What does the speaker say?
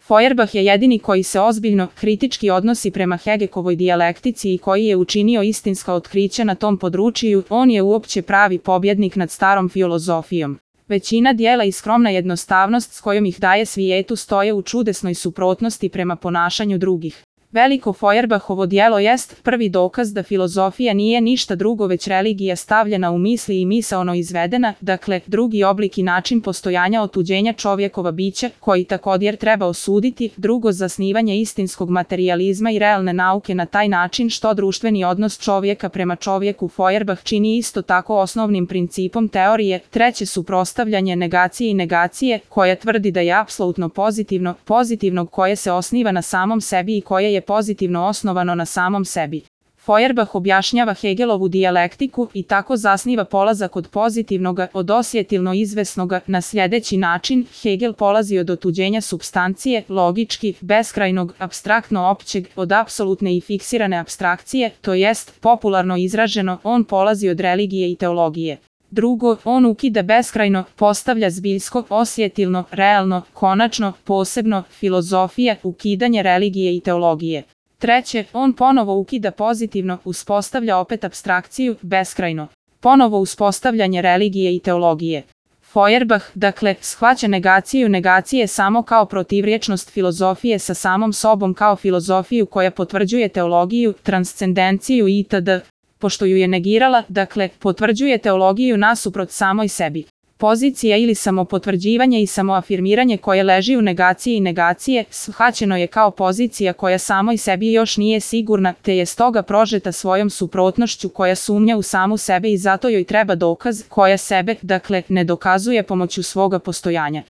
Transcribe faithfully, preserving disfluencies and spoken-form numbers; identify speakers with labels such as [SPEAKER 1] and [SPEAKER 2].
[SPEAKER 1] Feuerbach je jedini koji se ozbiljno, kritički odnosi prema Hegekovoj dijalektici i koji je učinio istinska otkrića na tom području. On je uopće pravi pobjednik nad starom filozofijom. Većina dijela i skromna jednostavnost s kojom ih daje svijetu stoje u čudesnoj suprotnosti prema ponašanju drugih. Veliko Feuerbachovo djelo jest prvi dokaz da filozofija nije ništa drugo već religija stavljena u misli i misaono izvedena, dakle, drugi oblik i način postojanja otuđenja čovjekova bića, koji također treba osuditi, drugo zasnivanje istinskog materijalizma i realne nauke na taj način što društveni odnos čovjeka prema čovjeku Feuerbach čini isto tako osnovnim principom teorije, treće suprotstavljanje negacije i negacije, koja tvrdi da je apsolutno pozitivno, pozitivnog koje se osniva na samom sebi i koje je pozitivno osnovano na samom sebi. Feuerbach objašnjava Hegelovu dijalektiku i tako zasniva polazak od pozitivnoga, od osjetilno izvesnoga, na sljedeći način. Hegel polazi od otuđenja supstancije, logički, beskrajnog, apstraktno općeg, od apsolutne i fiksirane apstrakcije, to jest, popularno izraženo, on polazi od religije i teologije. Drugo, on ukida beskrajno, postavlja zbiljsko, osjetilno, realno, konačno, posebno, filozofija, ukidanje religije i teologije. Treće, on ponovo ukida pozitivno, uspostavlja opet apstrakciju, beskrajno. Ponovo uspostavljanje religije i teologije. Feuerbach, dakle, shvaća negaciju negacije samo kao protivrječnost filozofije sa samom sobom kao filozofiju koja potvrđuje teologiju, transcendenciju itd. Pošto ju je negirala, dakle, potvrđuje teologiju nasuprot samoj sebi. Pozicija ili samopotvrđivanje i samoafirmiranje koje leži u negaciji i negacije, shvaćeno je kao pozicija koja samoj sebi još nije sigurna, te je stoga prožeta svojom suprotnošću koja sumnja u samu sebe i zato joj treba dokaz, koja sebe, dakle, ne dokazuje pomoću svoga postojanja.